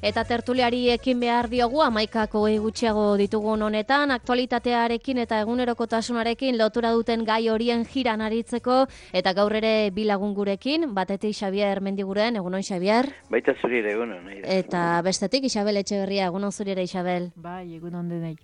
Eta tertuliari ekin behar diogu, 11 gutxiago ditugun honetan, aktualitatearekin eta egunerokotasunarekin lotura duten gai horien jiran aritzeko, eta gaur ere bi lagun gurekin, batetik Xabier Mendiguren, egunon Xabier. Baita zurire, egunon. Eta bestetik Isabel Etxeberria, egunon zurire Isabel. Bai, egunon denei.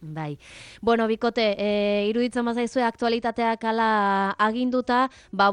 Bai. Bueno, bikote, iruditzen bazaizue aktualitateak ala aginduta,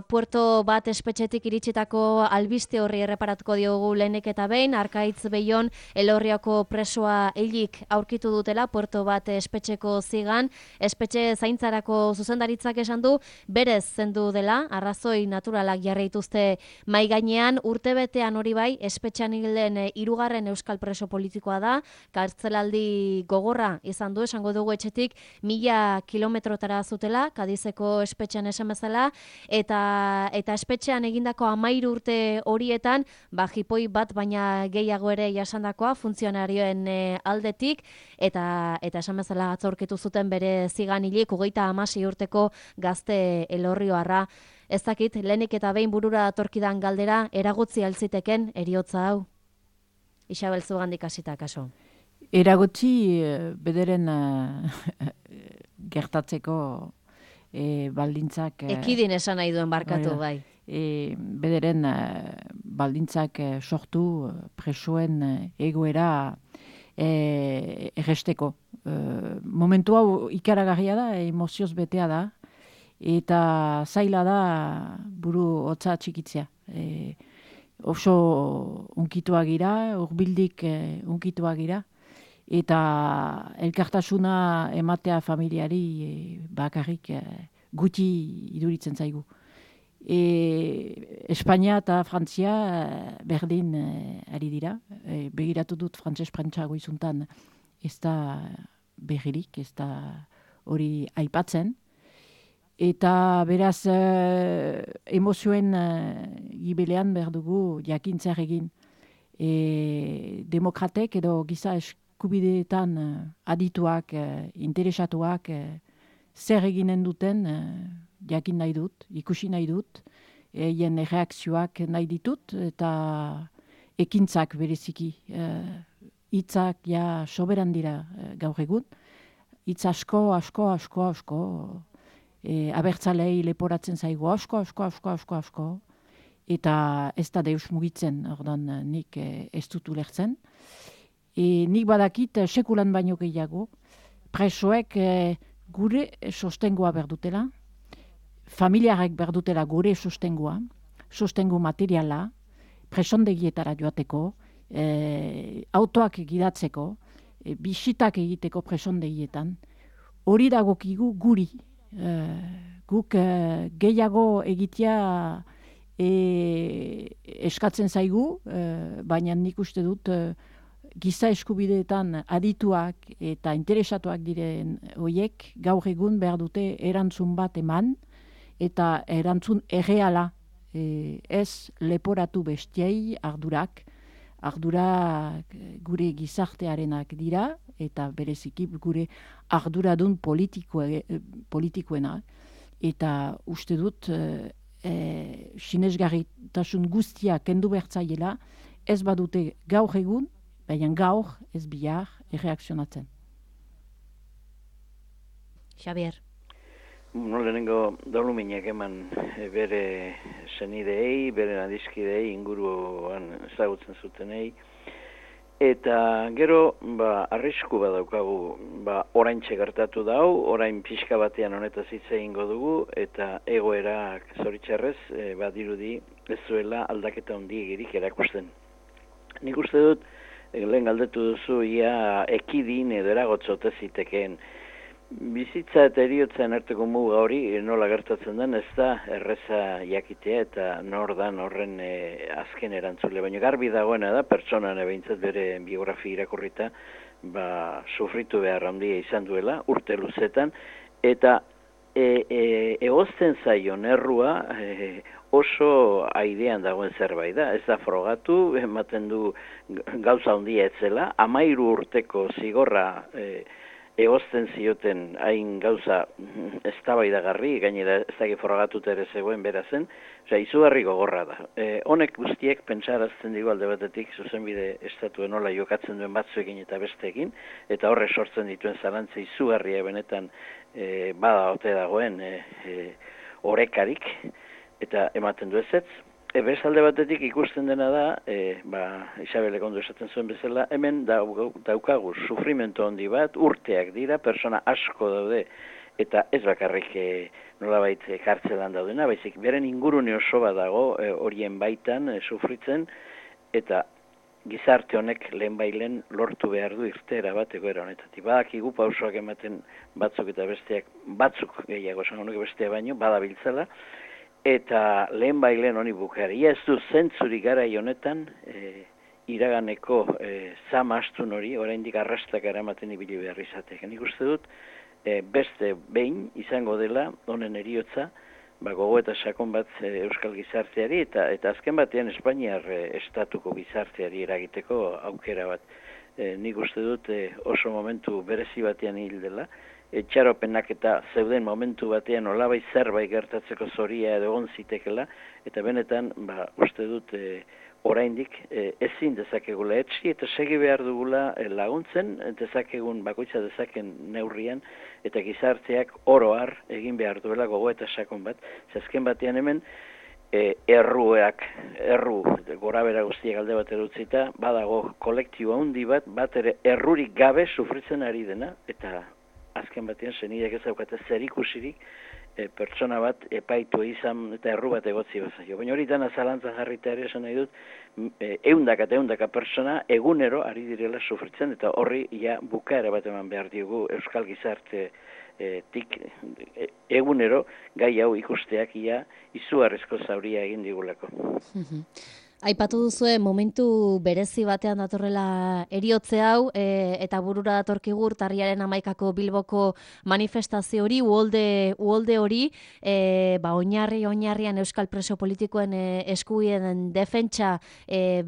puerto bat espetxetik iritsitako albiste horri erreparatuko diogu lehenik eta behin, Arkaitz Beion Elorriako presoa hilik aurkitu dutela, puerto bat espetxeko zigan, espetxe zaintzarako zuzendaritzak esan du, berez zendu dela, arrazoi naturalak jarri dituzte mai gainean, urtebetean hori bai, espetxean hilen 3. euskal preso politikoa da, kartzelaldi gogorra izan du, esango dugu etxetik 1000 kilometrotara zutela, Kadizeko espetxean esan bezala, eta espetxean egindako 13 urte horietan, jipoi bat baina gehiago ere jasandakoa funtzionarioen aldetik, eta esan bezala atzorkitu zuten bere zigan hilik 36 urteko gazte Elorrioarra. Ez dakit, lehenik eta behin burura datorkidan galdera, eragotzi altziteken eriotza hau? Isabel Zugandik hasita kaso. Eragotzi bederen gertatzeko baldintzak... Ekidin esan nahi duen barkatu, bai. Bederen baldintzak sortu presoen egoera erresteko. Momentu hau ikaragarria da, emozioz betea da, eta zaila da buru hotza txikitzea. Oso unkituak gira, urbildik unkituak gira, eta elkartasuna ematea familiari bakarrik guti iduritzen zaigu. Espainia eta Frantzia berdin ari dira. Begiratu dut frantses-prentsago izuntan ez da berririk, ez da hori aipatzen. Eta beraz emozioen gibelean behar dugu jakintzer egin. Demokratek edo giza eskubideetan adituak, interesatuak zer eginen duten jakin nahi dut, ikusi nahi dut, eien reakzioak nahi ditut eta ekintzak bereziki. Hitzak ja soberan dira gaur egun. Hitz asko. Abertzalei leporatzen zaigu asko, eta ez da deus mugitzen, ordan nik ez dut ulertzen. Nik badakit sekulan baino gehiago, presoek gure sostengoa berdutela, familiarek berdutela gure sostengu materiala, presondegietara joateko, autoak gidatzeko, bisitak egiteko presondegietan, hori dagokigu guri. Guk gehiago egitea eskatzen zaigu, baina nik uste dut giza eskubideetan adituak eta interesatuak diren horiek gaur egun behar dute erantzun bat eman, eta erantzun erreala, ez leporatu bestiei ardurak gure gizartearenak dira, eta bereziki gure arduradun politikoena. Eta uste dut sinesgarritasun guztia kendu bertzaiela, ez badute gaur egun, baina gaur ez bihar erreakzionatzen. Xabier. Lehenengo doluminak eman bere senidei, bere adizkidei, inguruan ezagutzen zutenei. Eta gero, arrisku badaukagu, oraintxe gertatu dau, orain pixka batean honetaz hitz egingo dugu, eta egoerak zoritxarrez, dirudi ez zuela aldaketa handiegirik erakusten. Nik uste dut, lehen galdetu duzu, ia ekidin edo eragotzote zitekeen. Bizitza eta eriotzen arteko muga hori nola gertatzen den, ez da erreza jakitea eta nor dan horren azken erantzule. Baina garbi dagoena da, pertsonan behintzat bere biografia irakurrita, sufritu behar handia izan duela, urte luzetan, eta egozten zaion errua oso aidean dagoen zerbait da. Ez da frogatu, ematen du gauza handia etzela, 13 urteko zigorra egozten zioten hain gauza eztabaidagarri, gainera ez dakit frogatuta ere zegoen bera zen, izugarri gogorra da. Honek guztiek pentsarazten digu alde batetik zuzenbide estatuen nola jokatzen duen batzuekin eta besteekin, eta horre sortzen dituen zalantza izugarria benetan bada ote dagoen orekarik, eta ematen du ezetz. Beste alde batetik ikusten dena da, Isabelek ondo esaten zuen bezala, hemen daukagu sufrimentu handi bat, urteak dira, persona asko daude, eta ez bakarrik nolabait kartzelan daudena, baizik beren ingurune oso bat dago horien baitan sufritzen, eta gizarte honek lehenbailen lortu behar du irteera bat egoera honetatik. Badakigu pausoak ematen batzuk eta besteak, batzuk gehiago, esan honek bestea baino, badabiltzala, eta lehenbailen honi bukaria ez du zentzuri garai honetan iraganeko zama astun hori, oraindik arrastak eramaten ibili behar izatek. Nik uste dut, beste behin izango dela honen heriotza, gogo eta sakon bat euskal gizarteari eta azken batean Espainiar estatuko gizarteari eragiteko aukera bat. Nik uste dut oso momentu berezi batean hil dela, txaropenak eta zeuden momentu batean olabai zerbait gertatzeko zoria edo egon zitekela, eta benetan uste dut oraindik ezin dezakegula etsi eta segi behar dugula laguntzen, dezakegun bakoitza dezaken neurrian, eta gizarteak oro har egin behar duela gogo eta sakon bat, zazken batean hemen erru gorabera guztiak alde bat erutzita, badago kolektibo handi bat ere errurik gabe sufritzen ari dena, eta azken batean senidek ez daukate zerikusirik pertsona bat epaitu izan eta erru bat egotzi bazaio. Baina hori dana zalantzan jarrita ere esan nahi dut, ehundaka pertsona egunero ari direla sufritzen, eta horri bukaera bat eman behar diogu euskal gizarte egunero gai hau ikusteak izugarrizko zauria egin digulako. Aipatu duzue momentu berezi batean datorrela eriotze hau, eta burura datorkigu urtarriaren 11ko Bilboko manifestazio hori, uholde hori, oinarrian euskal preso politikoen eskubideen defentsa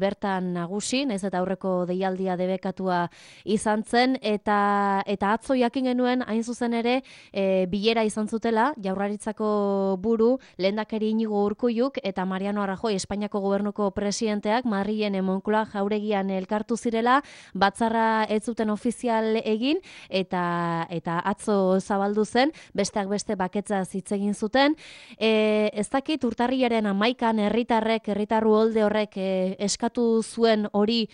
bertan nagusi, naiz eta aurreko deialdia debekatua izan zen, eta atzo jakin genuen hain zuzen ere bilera izan zutela Jaurlaritzako buru lehendakari Iñigo Urkulluk eta Mariano Rajoy Espainiako gobernuko presidenteak Madrilen Moncloa jauregian elkartu zirela, batzarra ez zuten ofizial egin eta atzo zabaldu zen, besteak beste baketza hitz egin zuten. Ez dakit urtarrilaren 11an herritarru uholde horrek eskatu zuen hori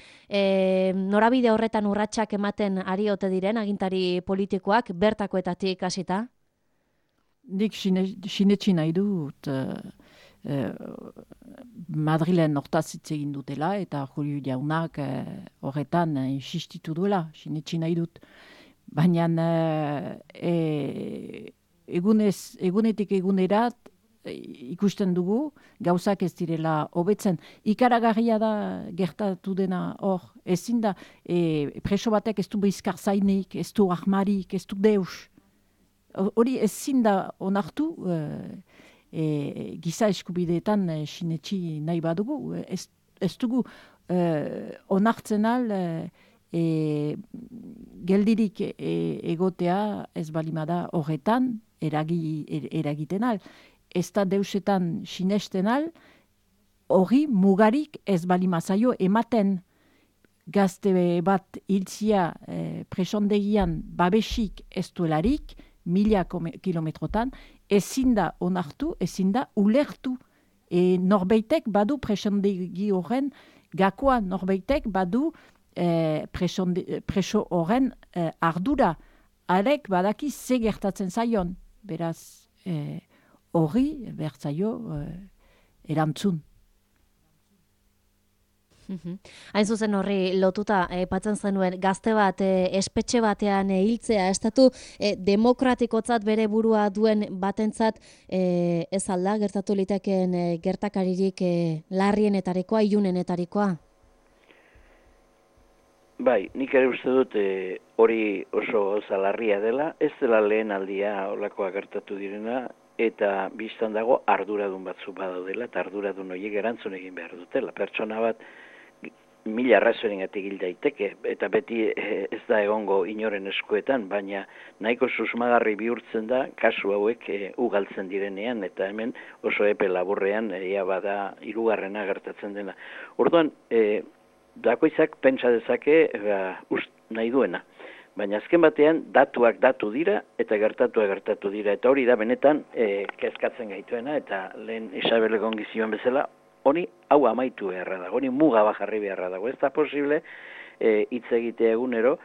norabide horretan urratsak ematen ari ote diren agintari politikoak bertakoetatik hasita? Nik sinetsi nahi dut Madrilen hortaz hitz egin dutela eta Julio jaunak horretan insistitu duela, sinetsi nahi dut. Baina egunetik egunerat ikusten dugu gauzak ez direla hobetzen. Ikaragarria da gertatu dena hor. Ezin da preso batek ez du bizkar zainik, ez du ahmarik, ez du deus. Hori ezin da onartu giza eskubideetan sinetsi nahi badugu. Ez dugu onartzen al geldirik egotea ez balimada horretan eragiten al. Ez da deusetan sinesten al, hori mugarik ez balimazaio ematen. Gazte bat hiltzia presondegian babesik ez duelarik, 1000 kilometrotan, ezin da onartu, ezin da ulertu. Norbeitek badu presondegi horren gakoa, norbeitek badu preso horren ardura. Arek badaki ze gertatzen zaion. Beraz, horri bertzaio erantzun. Hain zuzen horri lotuta aipatzen zenuen gazte bat espetxe batean hiltzea, estatu demokratikotzat bere burua duen batentzat ez alda gertatu litekeen gertakaririk larrienetarikoa, ilunenetarikoa? Bai, nik ere uste dut hori oso gauza larria dela, ez dela lehen aldia olakoa gertatu direna, eta biztan dago arduradun batzu badaudela, eta arduradun horiek erantzun egin behar dutela. Pertsona bat mila arrazorengatik hil daiteke, eta beti ez da egongo inoren eskuetan, baina nahiko susmagarri bihurtzen da kasu hauek ugaltzen direnean, eta hemen oso epe laburrean ia bada 3. gertatzen dena. Orduan, dakoitzak pentsa dezake nahi duena. Baina azken batean datuak datu dira eta gertatu dira. Eta hori da benetan kezkatzen gaituena eta lehen Isabelek ongi zioen bezala, honi hau amaitu beharra dago, honi muga bajarri beharra dago. Ez da posible hitz egitea egunero,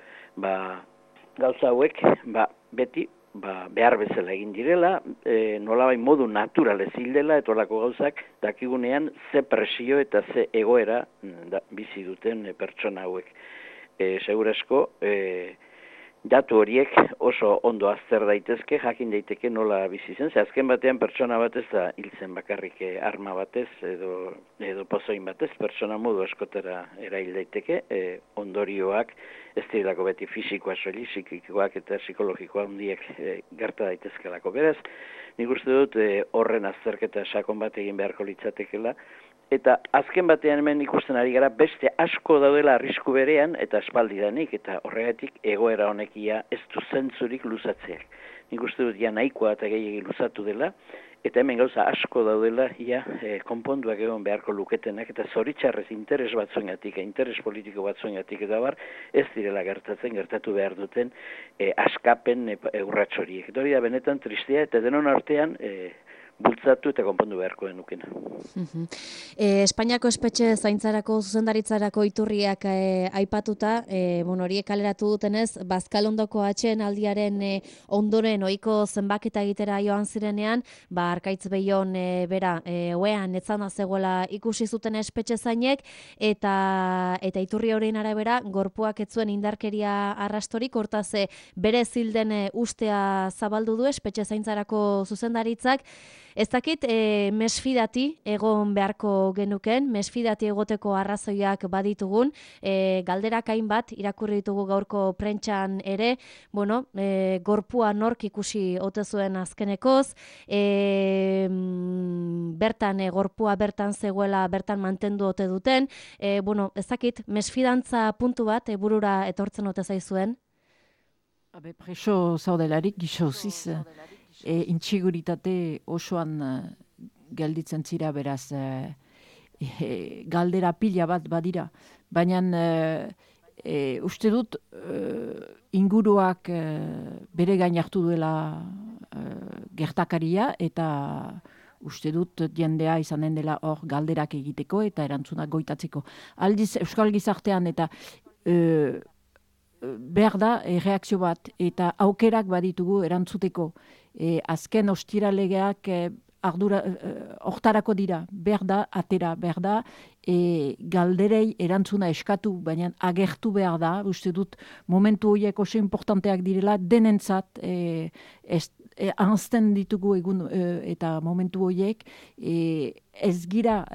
gauza hauek beti behar bezala egin direla, nolabait modu naturalez hildela, eta olako gauzak dakigunean ze presio eta ze egoera bizi duten pertsona hauek. Segurazko, datu horiek oso ondo azter daitezke, jakin daiteke nola bizi zen, ze azken batean pertsona batez da hiltzen bakarrik arma batez edo pozoin batez, pertsona modu askotera erail daiteke, ondorioak ez direlako beti fisikoa soilik, psikikoak eta psikologikoa handiak gerta daitezkelako. Beraz, nik uste dut horren azterketa sakon bat egin beharko litzatekela, eta azken batean hemen ikusten ari gara beste asko daudela arrisku berean eta aspaldidanik, eta horregatik egoera honekia ez du zentzurik luzatzeak. Nik uste dut nahikoa eta gehiagik luzatu dela, eta hemen gauza asko daudela konponduak egon beharko luketenak, eta zoritxarrez interes batzuengatik, interes politiko batzuengatik eta ez direla gertatu behar duten askapen urrats horiek. Hori da benetan tristea eta denon artean bultzatu eta konpondu beharko denukena. Espainiako espetxe zaintzarako zuzendaritzarako iturriak aipatuta, horiek kaleratu dutenez, Bazkalondoko atsedenaldiaren ondoren ohiko zenbaketa egitera joan zirenean, Arkaitz Beion bera oean etzana zegoela ikusi zuten espetxe zainek, eta iturri horien arabera gorpuak ez zuen indarkeria arrastorik, hortaz bere zilden ustea zabaldu du espetxe zaintzarako zuzendaritzak. Ez dakit, mesfidati egon beharko genuken, mesfidati egoteko arrazoiak baditugun, galderak hainbat irakurri ditugu gaurko prentxan ere, gorpua nork ikusi ote zuen azkenekoz, bertan, gorpua bertan zegoela, bertan mantendu ote duten, ez dakit, mesfidantza puntu bat burura etortzen ote zaizuen? Preso zaudelarik, gixauziz, intsiguritate osoan gelditzen zira, beraz galdera pila bat badira. Baina uste dut inguruak bere gain hartu duela gertakaria, eta uste dut jendea izanen dela hor galderak egiteko eta erantzunak goitatzeko. Aldiz Euskal Gizartean eta behar da reakzio bat eta aukerak baditugu erantzuteko. Azken ostiralegeak hortarako dira, behar da, atera, behar da, galderei erantzuna eskatu, baina agertu behar da, uste dut momentu horiek oso importanteak direla, denentzat ahazten ditugu egun eta momentu horiek, ez gira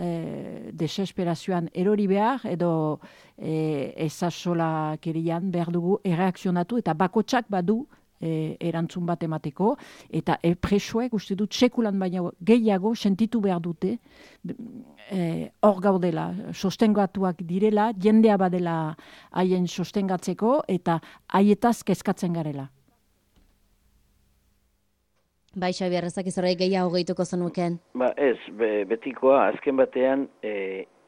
desesperazioan erori behar, edo ezasola kerian behar dugu erreakzionatu, eta bakotsak badu erantzun bat emateko, eta presoek uste dut sekulan baina gehiago sentitu behar dute hor gaudela, sostengatuak direla, jendea badela haien sostengatzeko, eta haietaz kezkatzen garela. Bai, Xabier, ezak izorrei gehiago gehituko zenuken? Ez, betikoa, azken batean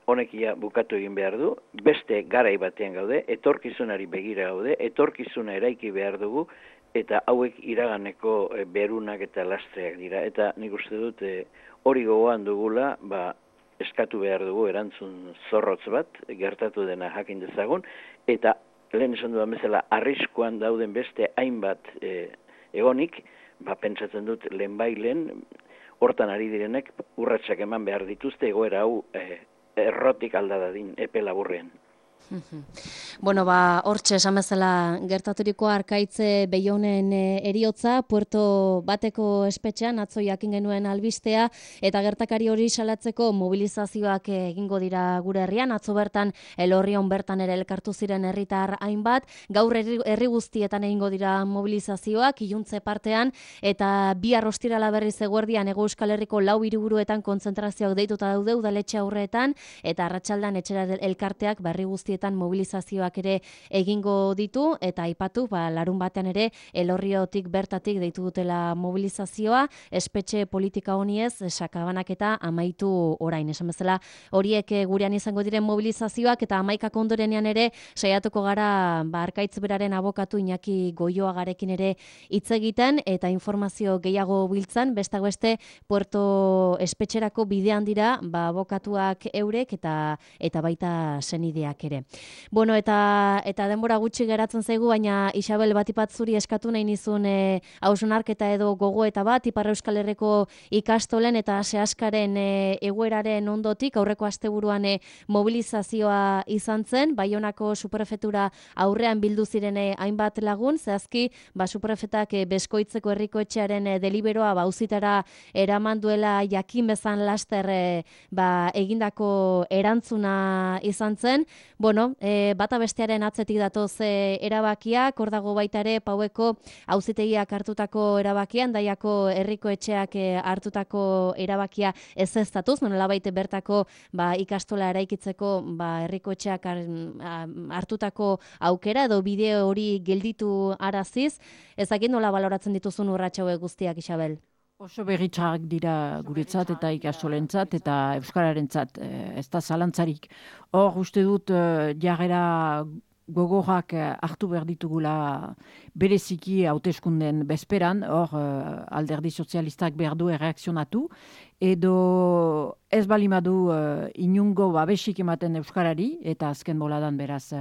honekia bukatu egin behar du, beste garai batean gaude, etorkizunari begira gaude, etorkizuna eraiki behar dugu, eta hauek iraganeko berunak eta lastreak dira. Eta nik uste dut hori gogoan dugula, eskatu behar dugu erantzun zorrotz bat, gertatu dena jakin dezagun, eta lehen esan dudan bezala arriskuan dauden beste hainbat egonik, pentsatzen dut lehenbailen, hortan ari direnek urratsak eman behar dituzte egoera hau errotik aldadadin epe laburrean. Hortxe esan bezala gertaturiko Arkaitz Beionen eriotza, Puerto Bateko espetxean atzo jakin genuen albistea, eta gertakari hori salatzeko mobilizazioak egingo dira gure herrian, atzo bertan Elorrion bertan ere elkartu ziren herritar hainbat, gaur herri guztietan egingo dira mobilizazioak, iluntze partean, eta bihar ostirala berriz eguerdian Hego Euskal Herriko 4 hiriburuetan kontzentrazioak deituta daude udaletxe aurreetan, eta arratsaldean etxera elkarteak herri guztietan guztietan mobilizazioak ere egingo ditu, eta aipatu, larun batean ere Elorriotik bertatik deitu dutela mobilizazioa, espetxe politika honiez, sakabanaketa amaitu orain. Esan bezala, horiek gurean izango diren mobilizazioak, eta 11 ondorenean ere saiatuko gara Arkaitz beraren abokatu Iñaki Goioagarekin ere hitz egiten, eta informazio gehiago biltzan, besteak beste Puerto espetxerako bidean dira, abokatuak eurek eta baita senideak ere. Bueno, eta denbora gutxi geratzen zaigu, baina Isabel, batipat zuri eskatu nahi nizun hausnarketa edo gogoeta bat, Ipar Euskal Herriko ikastolen eta sehaskaren egoeraren ondotik, aurreko asteburuan mobilizazioa izan zen, Baionako superprefetura aurrean bildu ziren hainbat lagun, zehazki superprefetak Beskoitzeko herriko etxearen deliberoa auzitara eraman duela jakin bezan laster egindako erantzuna izan zen. Bueno, bata bestearen atzetik datoz erabakiak, hor dago baita ere Paueko auzitegiak hartutako erabakian, Daiako herriko etxeak hartutako erabakia ezeztatuz, nolabait bertako ikastola eraikitzeko herriko etxeak hartutako aukera edo bideo hori gelditu araziz. Ezakit nola baloratzen dituzun urrats hauek guztiak, Isabel? Oso berritxarrak dira guretzat eta ikastolentzat eta euskararentzat, ez da zalantzarik. Hor, uste dut jarrera gogorrak hartu behar ditugula bereziki hauteskunden bezperan, hor alderdi sozialistak behar du erreakzionatu, edo ez balimadu inungo babesik ematen euskarari, eta azken boladan beraz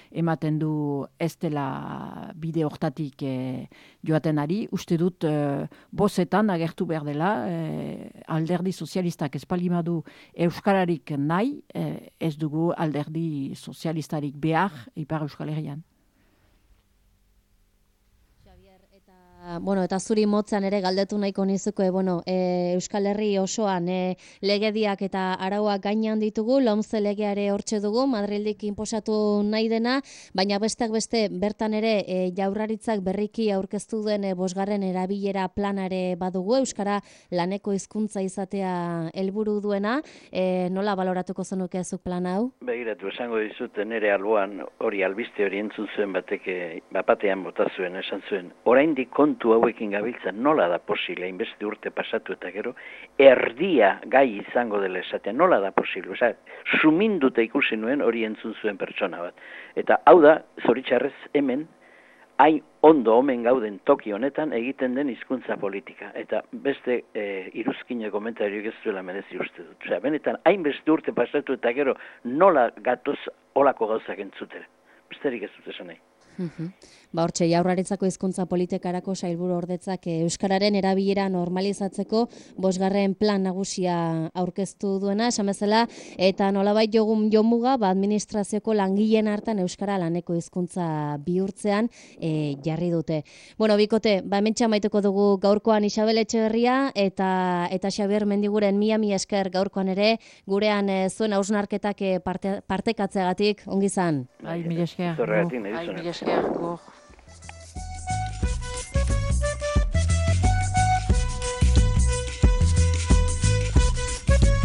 ematen du ez dela bide hortatik joaten ari, uste dut bozetan agertu behar dela, alderdi sozialistak ez balimadu euskararik nahi, ez dugu alderdi sozialistarik behar Ipar Euskal Herrian. Eta zuri motzan ere galdetu nahiko nizuko, Euskal Herri osoan legediak eta arauak gainean ditugu, LOMCE legeare hortxe dugu, Madrildik inposatu nahi dena, baina besteak beste bertan ere Jaurlaritzak berriki aurkeztu duen 5. erabilera planare badugu, euskara laneko hizkuntza izatea helburu duena, nola baloratuko zenuke zuk plan hau? Begiratu, esango dizut nere alboan hori albiste hori entzun zuen batean bota zuen, esan zuen, oraindik kontu hauekin gabiltzan nola da posible, hainbeste urte pasatu eta gero, erdia gai izango dela esatea, nola da posible, suminduta ikusi nuen hori entzun zuen pertsona bat. Eta hau da, zoritxarrez hemen, hain ondo omen gauden toki honetan egiten den hizkuntza politika. Eta beste iruzkine komentarioak ez duela merezi uste dut. Benetan, hainbeste urte pasatu eta gero nola gatoz olako gauzak entzutera. Besterik ez dut esan nahi. Hortxe, Jaurlaritzako hizkuntza politikarako sailburu ordetzak euskararen erabilera normalizatzeko 5. plan nagusia aurkeztu duena, esan bezala, eta nolabait jomuga administrazioko langileen hartan euskara laneko hizkuntza bihurtzean jarri dute. Bikote, hementxe amaituko dugu gaurkoan Isabel Etxeberria eta Xabier Mendiguren mila esker gaurkoan ere, gurean zuen hausnarketak partekatzeagatik, ongi izan. Mila esker. Zorregatik nahi duzuna. Mila esker.